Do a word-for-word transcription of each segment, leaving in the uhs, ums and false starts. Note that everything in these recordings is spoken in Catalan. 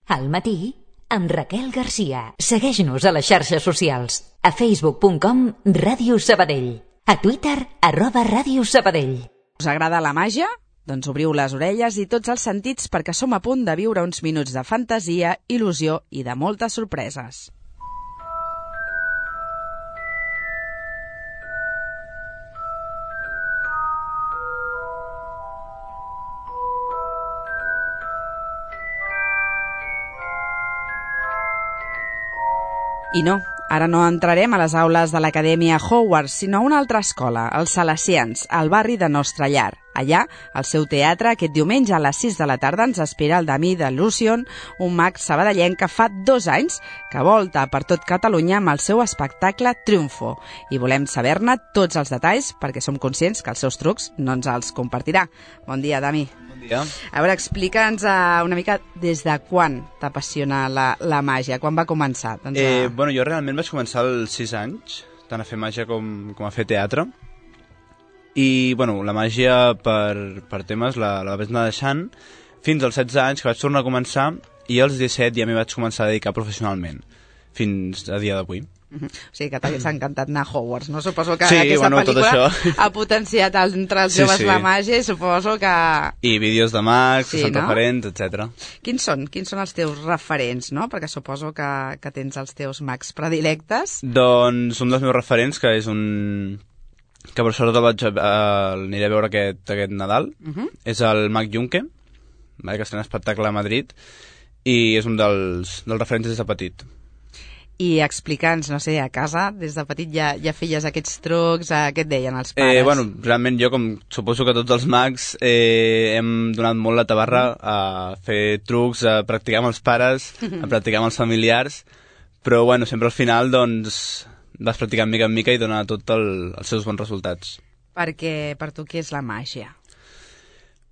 Al matí, amb Raquel Garcia. Segueix-nos a les xarxes socials. A facebook punt com Ràdio Sabadell. A Twitter, arroba Ràdio Sabadell. Us agrada la màgia? Doncs obriu les orelles i tots els sentits perquè som a punt de viure uns minuts de fantasia, il·lusió i de moltes sorpreses. I no, ara no entrarem a les aules de l'Acadèmia Hogwarts, sinó a una altra escola, els Salesians, al barri de Nostra Llar. Allà, al seu teatre, aquest diumenge a les sis de la tarda ens espera el Damí de Lucion, un mag sabadellenc que fa dos anys que volta per tot Catalunya amb el seu espectacle Triunfo. I volem saber-ne tots els detalls perquè som conscients que els seus trucs no ens els compartirà. Bon dia, Damí. Bon dia. A veure, explica'ns uh, una mica des de quan t'apassiona la, la màgia, quan va començar? Doncs, uh... eh, bueno, jo realment vaig començar als sis anys, tant a fer màgia com, com a fer teatre. I, bueno, la màgia per, per temes la, la vaig anar deixant fins als setze anys, que vaig tornar a començar, i als disset ja m'hi vaig començar a dedicar professionalment, fins a dia d'avui. Uh-huh. O sigui que t'hagués encantat anar a Hogwarts, no? Suposo que sí, aquesta bueno, pel·lícula ha potenciat entre els sí, joves sí. la màgia i suposo que... I vídeos de mags, sí, que són no? referents, etcètera. Quins són? Quins són els teus referents, no? Perquè suposo que, que tens els teus mags predilectes. Doncs un dels meus referents, que és un... que per sort el vaig a, uh, aniré a veure aquest, aquest Nadal, uh-huh. és el Mag Junque, que està en espectacle a Madrid, i és un dels, dels referents des de petit. I explica'ns, no sé, a casa, des de petit ja, ja feies aquests trucs, eh, què et deien els pares? Eh, bueno, realment jo, com suposo que tots els mags, eh, hem donat molt la tabarra a fer trucs, a practicar amb els pares, a practicar amb els familiars, però bueno, sempre al final, doncs, vas practicant mica en mica i donar tot el, els seus bons resultats. Perquè per tu què és la màgia?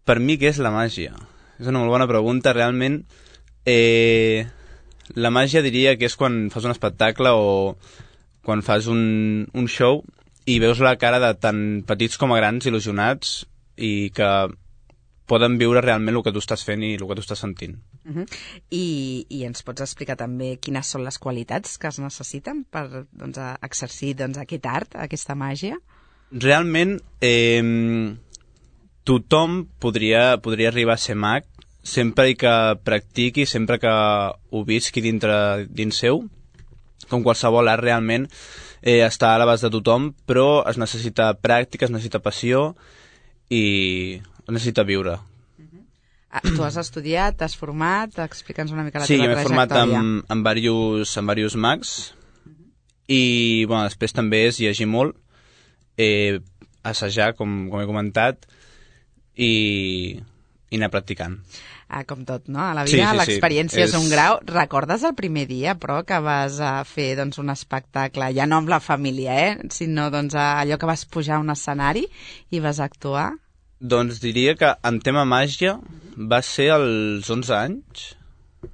Per mi què és la màgia? És una molt bona pregunta, realment. Eh... La màgia diria que és quan fas un espectacle o quan fas un, un show i veus la cara de tant petits com a grans il·lusionats i que poden viure realment el que tu estàs fent i el que tu estàs sentint. Uh-huh. I, I ens pots explicar també quines són les qualitats que es necessiten per doncs, exercir doncs, aquest art, aquesta màgia? Realment, eh, tothom podria, podria arribar a ser mag sempre que practiqui, sempre que ho visqui dintre dins seu, com qualsevol art realment eh, està a l'abast de tothom, però es necessita pràctica, es necessita passió i es necessita viure. Uh-huh. Ah, tu has estudiat, t'has format, explica'ns una mica la sí, teva trajectòria. Sí, m'he format amb, amb, diversos, amb diversos mags uh-huh. i bueno, després també és llegir molt, eh, assajar, com, com he comentat, i, i anar practicant. Ah, com tot, no? A la vida, sí, sí, l'experiència sí. és... és un grau. Recordes el primer dia, però, que vas a fer doncs, un espectacle, ja no amb la família, eh? sinó doncs, allò que vas pujar a un escenari i vas actuar? Doncs diria que en tema màgia va ser als onze anys,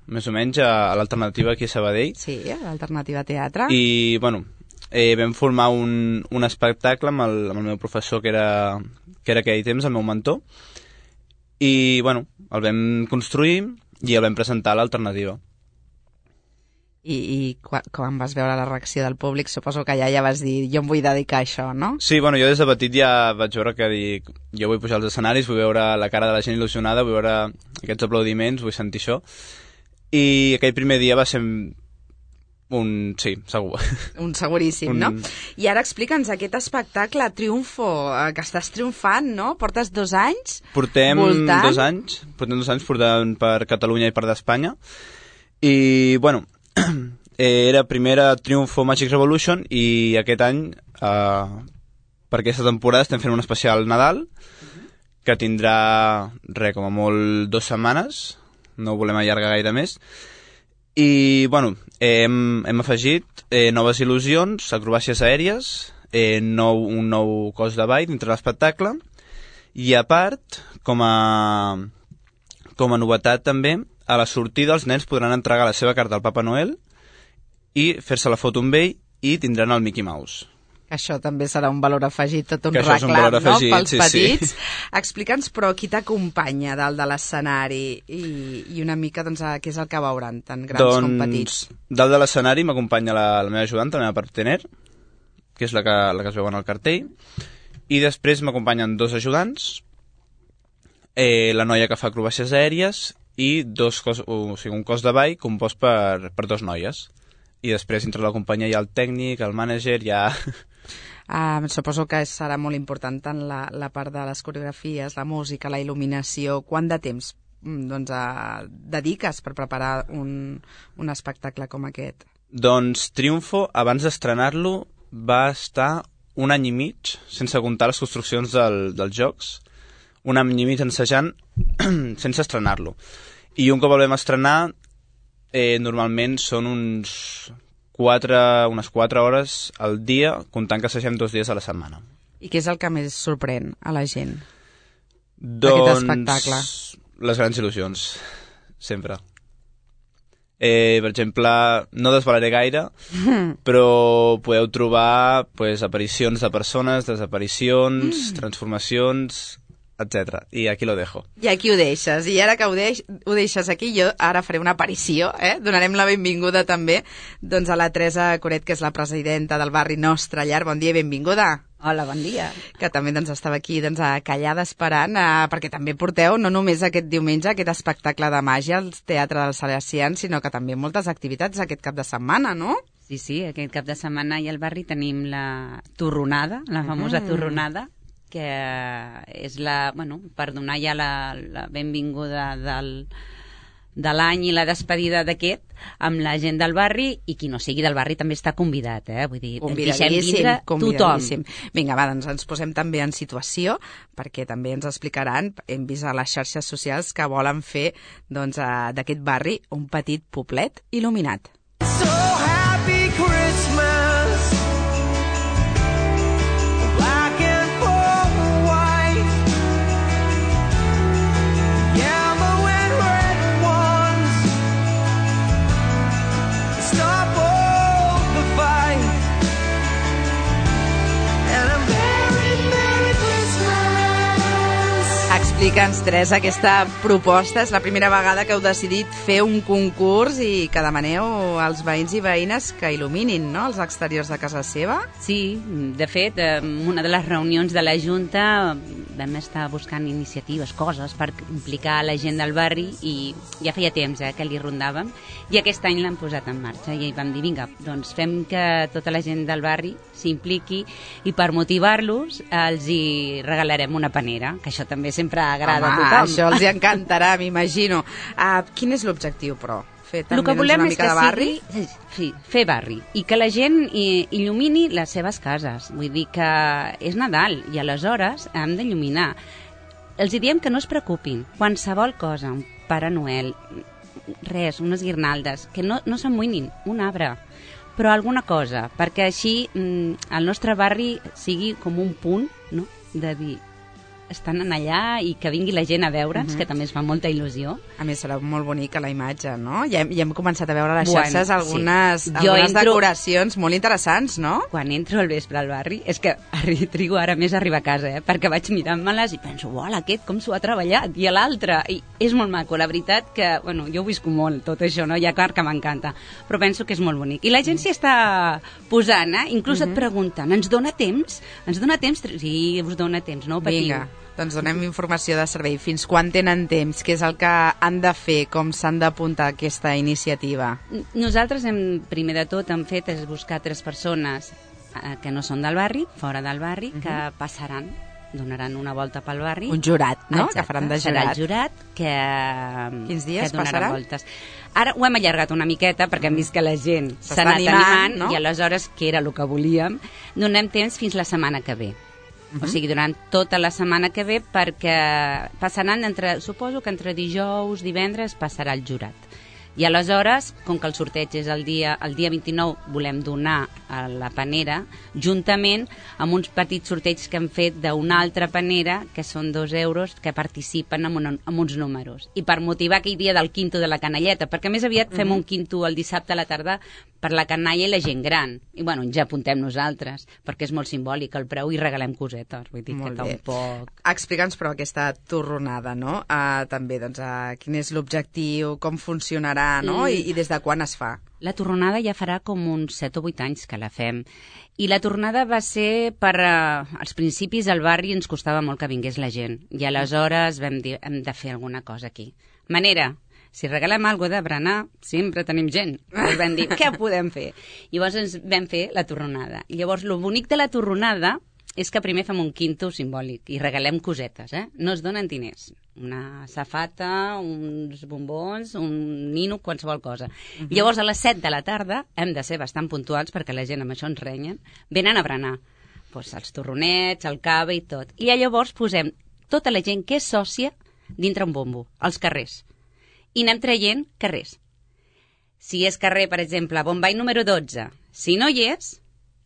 més o menys, a l'Alternativa aquí a Sabadell. Sí, a l'Alternativa Teatre. I, bueno, eh, vam formar un, un espectacle amb el, amb el meu professor, que era, que era aquell temps el meu mentor, i, bueno, el vam construir i el vam presentar a l'Alternativa. I, i quan, quan vas veure la reacció del públic, suposo que ja ja vas dir, jo em vull dedicar a això, no? Sí, bueno, jo des de petit ja vaig veure que dic, jo vull pujar als escenaris, vull veure la cara de la gent il·lusionada, vull veure aquests aplaudiments, vull sentir això. I aquell primer dia va ser un... sí, segur. Un seguríssim, un... no? I ara explica'ns aquest espectacle, Triunfo, que estàs triomfant, no? Portes dos anys Portem voltant. dos anys, portem dos anys portant per Catalunya i per d'Espanya. I, bueno, era primera Triunfo Magic Revolution i aquest any, eh, per aquesta temporada, estem fent un especial Nadal, uh-huh. que tindrà, res, com a molt, dues setmanes, no ho volem allargar gaire més. I, bueno, eh, hem, hem afegit eh, noves il·lusions, acrobàcies aèries, eh, nou, un nou cos de ball dintre l'espectacle, i a part, com a, com a novetat també, a la sortida els nens podran entregar la seva carta al Papa Noel i fer-se la foto amb ell i tindran el Mickey Mouse. Això també serà un valor afegit, tot un que reclam, un valor afegit, no?, pels sí, petits. Sí. Explica'ns, però, qui t'acompanya dalt de l'escenari i, i una mica, doncs, què és el que veuran, tant grans doncs, com petits? Dalt de l'escenari m'acompanya la, la meva ajudant, la meva partener, que és la que, la que es veu en el cartell, i després m'acompanyen dos ajudants, eh, la noia que fa acrobàcies aèries i dos cos, o sigui, un cos de ball compost per, per dos noies. I després, dintre la companyia, hi ha el tècnic, el mànager, hi ha... Uh, suposo que serà molt important tant la, la part de les coreografies, la música, la il·luminació. Quant de temps doncs, uh, dediques per preparar un, un espectacle com aquest? Doncs Triunfo, abans d'estrenar-lo, va estar un any i mig, sense comptar les construccions del, dels jocs, un any i mig ensejant sense estrenar-lo. I un cop el vam estrenar, eh, normalment són uns... Quatre, unes quatre hores al dia, comptant que assagem dos dies a la setmana. I què és el que més sorprèn a la gent doncs, espectacle? Les grans il·lusions, sempre. Eh, per exemple, no desvelaré gaire, mm. però podeu trobar pues, aparicions de persones, desaparicions, mm. transformacions, etcètera. I aquí lo dejo. I aquí ho deixes. I ara que ho, deix, ho deixes aquí, jo ara faré una aparició, eh? Donarem la benvinguda també doncs, a la Teresa Coret, que és la presidenta del barri Nostra Llar. Bon dia i benvinguda. Hola, bon dia. Que també doncs, estava aquí doncs, callada esperant, eh, perquè també porteu no només aquest diumenge aquest espectacle de màgia al Teatre dels Salesians, sinó que també moltes activitats aquest cap de setmana, no? Sí, sí, aquest cap de setmana i al barri tenim la torronada, la famosa mm. torronada, que és la, bueno, per donar ja la, la benvinguda del, de l'any i la despedida d'aquest amb la gent del barri, i qui no sigui del barri també està convidat, eh? Vull dir, deixem vindre tothom. Vinga, va, doncs ens posem també en situació, perquè també ens explicaran, hem vist a les xarxes socials que volen fer doncs, d'aquest barri un petit poblet il·luminat. So happy Christmas. Explica'ns, Teresa, aquesta proposta és la primera vegada que heu decidit fer un concurs i que demaneu als veïns i veïnes que il·luminin, no?, els exteriors de casa seva. Sí, de fet, en una de les reunions de la Junta vam estar buscant iniciatives, coses per implicar la gent del barri, i ja feia temps eh, que li rondàvem, i aquest any l'han posat en marxa i vam dir, vinga, doncs fem que tota la gent del barri s'impliqui, i per motivar-los els hi regalarem una panera, que això també sempre agrada Home, a tothom. Això els encantarà, m'imagino. Uh, quin és l'objectiu, però? Fer també el que volem una és mica que de barri? Sigui, sí, fer barri, i que la gent il·lumini les seves cases. Vull dir que és Nadal i aleshores hem d'il·luminar. Els diem que no es preocupin, qualsevol cosa, un Pare Noel, res, unes guirnaldes, que no, no s'amoïnin, un arbre, però alguna cosa, perquè així mm, el nostre barri sigui com un punt, no?, de dir, estan allà i que vingui la gent a veure'ns, uh-huh. que també es fa molta il·lusió. A més, serà molt bonica la imatge, no? Ja, ja hem començat a veure a les bueno, xarxes algunes, sí. algunes entro... decoracions molt interessants, no? Quan entro al vespre al barri, és que arri, trigo ara més a arribar a casa, eh? Perquè vaig mirant-me-les i penso, uau, aquest com s'ho ha treballat, i l'altre, i és molt maco, la veritat que, bueno, jo ho visco molt, tot això, no? Ja clar que m'encanta, però penso que és molt bonic. I la gent s'hi està posant, eh? Inclús uh-huh. et pregunten, ens dona temps? Ens dona temps? Sí, us dona temps, no patiu. Vinga. Doncs donem informació de servei. Fins quan tenen temps? Què és el que han de fer? Com s'han d'apuntar a aquesta iniciativa? Nosaltres, hem, primer de tot, hem fet és buscar tres persones eh, que no són del barri, fora del barri, uh-huh. que passaran, donaran una volta pel barri. Un jurat, no? Exacte, que faran de jurat. Serà el jurat que, Quins dies que donarà passarà? Voltes. Ara ho hem allargat una miqueta perquè hem vist que la gent s'ha anat animant, animant no? I aleshores, que era el que volíem, donem temps fins la setmana que ve. Uh-huh. O sigui, durant tota la setmana que ve, perquè passaran entre, suposo que entre dijous, divendres, passarà el jurat. I aleshores, com que el sorteig és el dia, el dia vint-i-nou, volem donar a la panera, juntament amb uns petits sorteigs que hem fet d'una altra panera, que són dos euros, que participen amb, un, amb uns números. I per motivar aquell dia del quinto de la canalleta, perquè més aviat fem un quinto el dissabte a la tarda per la canalla i la gent gran. I bueno, ens apuntem nosaltres, perquè és molt simbòlic el preu i regalem cosetes. Vull dir Molt que bé. tampoc... Explica'ns, però, aquesta torronada, no? Uh, també, doncs, uh, quin és l'objectiu, com funcionarà, no? I, I des de quan es fa? La tornada ja farà com uns set o vuit anys que la fem. I la tornada va ser per... Uh, als principis al barri ens costava molt que vingués la gent. I aleshores vam dir, hem de fer alguna cosa aquí. Manera, si regalem alguna de berenar, sempre tenim gent. Llavors vam dir, què podem fer? Llavors ens vam fer la torronada. I llavors, el bonic de la torronada és que primer fem un quinto simbòlic i regalem cosetes, eh? No es donen diners. Una safata, uns bombons, un nino, qualsevol cosa. Uh-huh. Llavors, a les set de la tarda, hem de ser bastant puntuals perquè la gent amb això ens renyen, venen a berenar. Pues, els torronets, el cava i tot. I llavors posem tota la gent que és sòcia dintre un bombo, als carrers. I anem traient carrers. Si és carrer, per exemple, Bombay número dotze, si no hi és,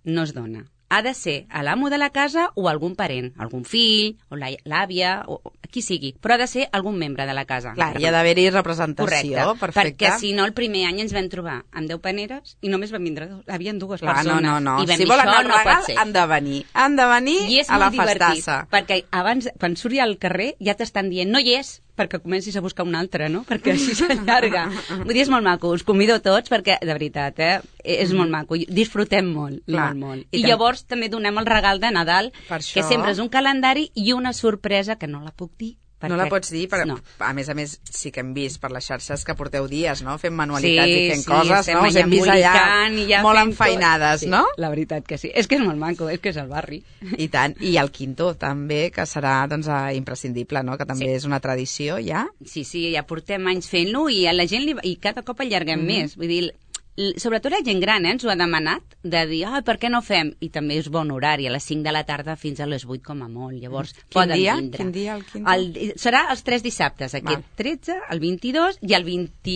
no es dona. Ha de ser a l'amo de la casa o algun parent, algun fill, o l'àvia, o qui sigui, però ha de ser algun membre de la casa. Clar, hi ha d'haver-hi representació. Correcte, perfecte. Perquè si no el primer any ens vam trobar amb deu paneres i només van vindre dos, havien dues Clar, persones. no, no, no. I vam Si dir, volen això el no regal, pot ser. han de venir. Han de venir I és a la molt divertit, festassa. perquè abans, quan surt ja al carrer, ja t'estan dient, no hi és, perquè comencis a buscar un altre, no? Perquè així s'allarga. Vull dir, és molt maco, us convido a tots, perquè, de veritat, eh, és molt maco. Disfrutem molt, Clar. molt, molt. I I tam- llavors també donem el regal de Nadal, Per això- que sempre és un calendari i una sorpresa que no la puc dir. Perquè... No la pots dir, però no. a més a més sí que hem vist per les xarxes que porteu dies, no? Fent manualitats Sí, i fent sí, coses, estem no? Us allà hem vist allà embolicant i ja molt fent enfeinades, tot. no? Sí, la veritat que sí. És que és molt maco, és que és el barri. I tant. I el quinto també, que serà doncs, eh, imprescindible, no? Que també Sí. és una tradició, ja. Sí, sí, ja portem anys fent-lo i a la gent li... i cada cop allarguem mm-hmm. més. Vull dir, l- sobretot la gent gran eh, ens ho ha demanat, de dir, ah, per què no fem? I també és bon horari, a les cinc de la tarda fins a les vuit com a molt. Llavors, Quin poden dia? vindre. Quin dia el quinto? El, serà els tres dissabtes, aquest Val. tretze, el vint-i-dos i el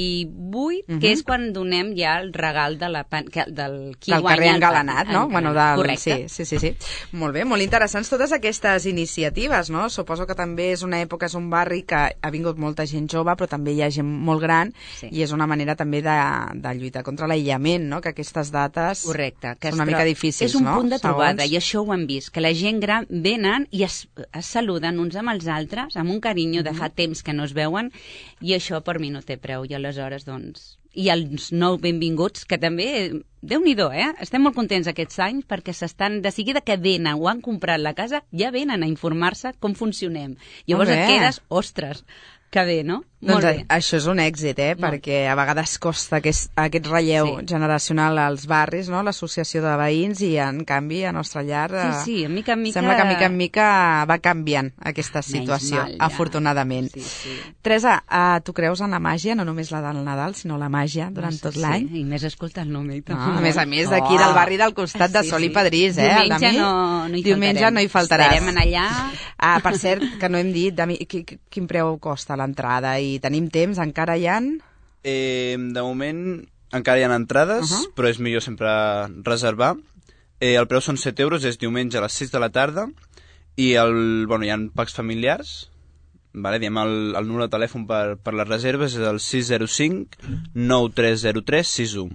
vint-i-vuit, Mhm. que és quan donem ja el regal de la, pan- que, del qui del guanya carrer el engalanat, pan- no? Bueno, del... Correcte. Sí, sí, sí, sí. Molt bé, molt interessants totes aquestes iniciatives, no? Suposo que també és una època, és un barri que ha vingut molta gent jove, però també hi ha gent molt gran, Sí. i és una manera també de, de lluitar contra l'aïllament, no? Que aquestes dates Correcte. Que són una es mica tro- difícils, És un no? punt de trobada, Segons. i això ho hem vist, que la gent gran venen i es, es saluden uns amb els altres, amb un carinyo de fa temps que no es veuen, i això per mi no té preu, i aleshores, doncs... I els nou benvinguts, que també, Déu-n'hi-do, eh? Estem molt contents aquests anys perquè s'estan, de seguida que venen o han comprat la casa, ja venen a informar-se com funcionem. Llavors Molt et bé. quedes, ostres, que bé, no? Doncs Molt bé. això és un èxit, eh? Molt. Perquè a vegades costa aquest, aquest relleu Sí. generacional als barris, no? L'associació de veïns, i en canvi a Nostra Llar eh, Sí, sí, a mica en mica... sembla que mica en mica va canviant aquesta Menys situació, mal, ja. afortunadament. Sí, sí. Teresa, uh, tu creus en la màgia, no només la del Nadal, sinó la màgia durant tot l'any? Sí, i més escolta el nom. No, a més a més, d'aquí del barri del costat de Sol i Pedrís, eh? Diumenge Dami? no, no hi Diumenge faltarem. no hi faltaràs. Estarem en allà. Ah, per cert, que no hem dit, Dami, qui- qui- quin preu costa l'entrada? I tenim temps, encara hi ha? Eh, de moment encara hi ha entrades, Uh-huh. però és millor sempre reservar. Eh, el preu són set euros, és diumenge a les sis de la tarda, i el, bueno, hi ha packs familiars, vale? Diem el, el número de telèfon per, per les reserves és el sis zero cinc nou tres zero tres sis u.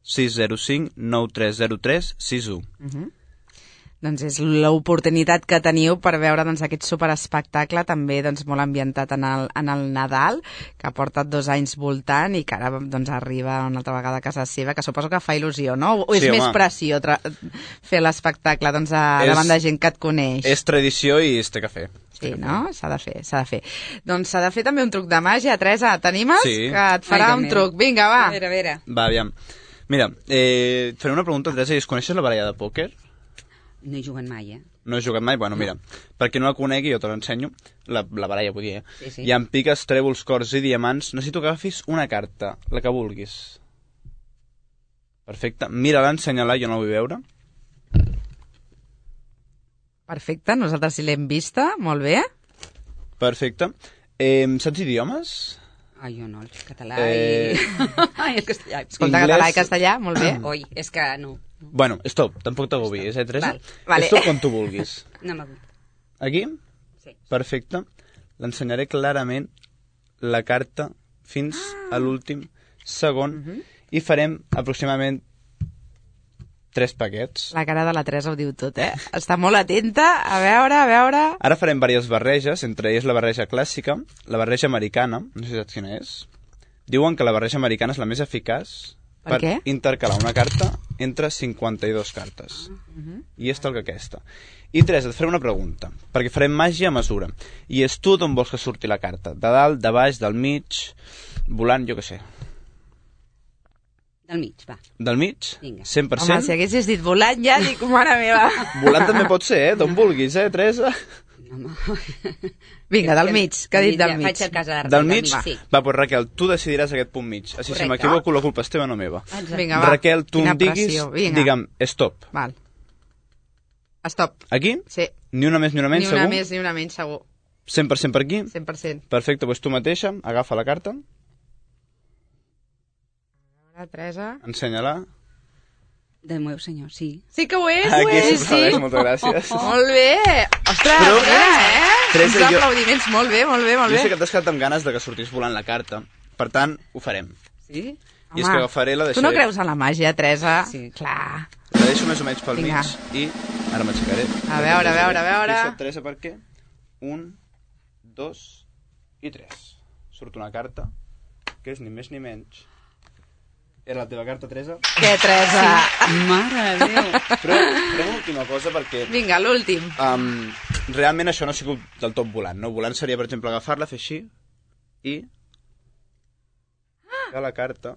sis zero cinc nou tres zero tres sis u. Uh-huh. Doncs és l'oportunitat que teniu per veure doncs, aquest superespectacle, també doncs, molt ambientat en el, en el Nadal, que ha portat dos anys voltant i que ara doncs, arriba una altra vegada a casa seva, que suposo que fa il·lusió, no? O és Sí, més home. pressió tra- fer l'espectacle doncs, a, És- davant de gent que et coneix? És tradició i es té que fer. Es té Sí, que no? S'ha de fer, s'ha de fer. Doncs s'ha de fer també un truc de màgia. Teresa, t'animes? Sí. Que et farà Ai, un que truc. Vinga, va. A veure, a veure. Va, aviam. Mira, eh, et faré una pregunta, Teresa, i es coneixes la baralla de pòquer? No hi juguen mai, eh? No he jugat mai? Bueno, mira, per qui no la conegui, jo te l'ensenyo, la, la baralla, vull dir, eh? Sí, sí. Hi ha piques, trèvols, cors i diamants. Necessito que agafis una carta, la que vulguis. Perfecte. Mira-la, ensenya-la, jo no la vull veure. Perfecte, nosaltres sí l'hem vista, molt bé. Perfecte. Eh, saps idiomes? Ai, jo no, el català Eh. i... Ai, el castellà. Escolta, Inglès. català i castellà, molt bé. Oi, és que no. Bueno, stop, tampoc t'agobies, eh, Teresa? Val, vale. Stop quan tu vulguis. No m'agut. Aquí? Sí. Perfecte. L'ensenyaré clarament la carta fins a l'últim segon i farem aproximadament tres paquets. La cara de la Teresa ho diu tot, eh? Està molt atenta. A veure, a veure... Ara farem diverses barreges, entre elles la barreja clàssica, la barreja americana, no sé si saps quina és. Diuen que la barreja americana és la més eficaç per, per intercalar una carta entre cinquanta-dues cartes. Uh-huh. I és tal que aquesta. I Teresa, et faré una pregunta, perquè farem màgia a mesura. I és tu d'on vols que surti la carta? De dalt, de baix, del mig, volant, jo què sé. Del mig, va. Del mig? Vinga. cent per cent? Home, si haguessis dit volant ja, dic, mare meva. Volant també pot ser, eh? D'on vulguis, eh, Teresa? No, Vinga, del mig, que ha dit del mig. Faig el cas ara. Del mig? Sí. Va, doncs Raquel, tu decidiràs aquest punt mig. Així, si m'equivoco, la culpa és teva, no meva. Exacte. Vinga, va. Raquel, tu Quina em diguis, pressió. Vinga. digue'm, stop. Val. Stop. Aquí? Sí. Ni una més ni una menys, Ni una segur? més ni una menys, segur. cent per cent per aquí? cent per cent. Perfecte, doncs tu mateixa, agafa la carta, La Teresa... ensenya-la. Del meu senyor, sí. Sí que ho és, ho Aquí és, sí. s'aplaudeix, moltes gràcies. Molt bé. Ostres, Però, mira, eh? Teresa, Uns jo- aplaudiments, molt bé, molt bé, molt Jo bé. sé que t'has quedat amb ganes de que sortís volant la carta, per tant, ho farem. Sí? I és que agafaré la Tu deixaré... no creus en la màgia, Teresa? Sí. Clar. La deixo més o menys pel Vinga. mig i ara m'aixecaré. A veure, a veure, a veure. Fixa't, Teresa, per què? Un, dos i tres. Surt una carta, que és ni més ni menys. Era la teva carta, Teresa? Què, Teresa? Mare de Déu. Però farem una última cosa perquè... Vinga, l'últim. Um, realment això no ha sigut del tot volant, no? Volant seria, per exemple, agafar-la, fer així i... a la carta...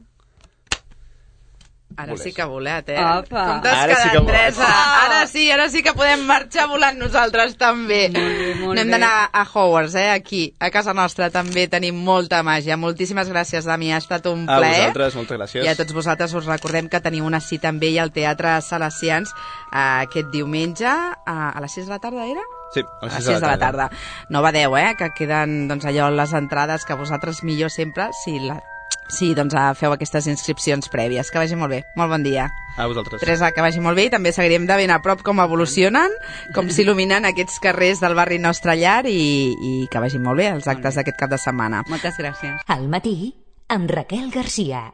Ara Volés. sí que ha volat, eh? Apa. Com t'has Ara sí quedat, que volat. Teresa? Ara sí, ara sí que podem marxar volant nosaltres també. Molt bé, molt No hem bé. d'anar a Hogwarts, eh? Aquí, a casa nostra també tenim molta màgia. Moltíssimes gràcies, Dami, ha estat un A plaer. vosaltres, moltes gràcies. I a tots vosaltres us recordem que teniu una cita amb ell al Teatre Salesians eh, aquest diumenge a, a les sis de la tarda, era? Sí, A les sis de la tarda. No badeu, eh? Que queden doncs, allò les entrades que vosaltres millor sempre si la... Sí, doncs feu aquestes inscripcions prèvies. Que vagi molt bé. Molt bon dia. A vosaltres. Teresa, que vagi molt bé i també seguirem de ben a prop com evolucionen, com s'il·luminen aquests carrers del barri Nostre Llar i, i que vagi molt bé els actes d'aquest cap de setmana. Moltes gràcies. Al matí, amb Raquel Garcia.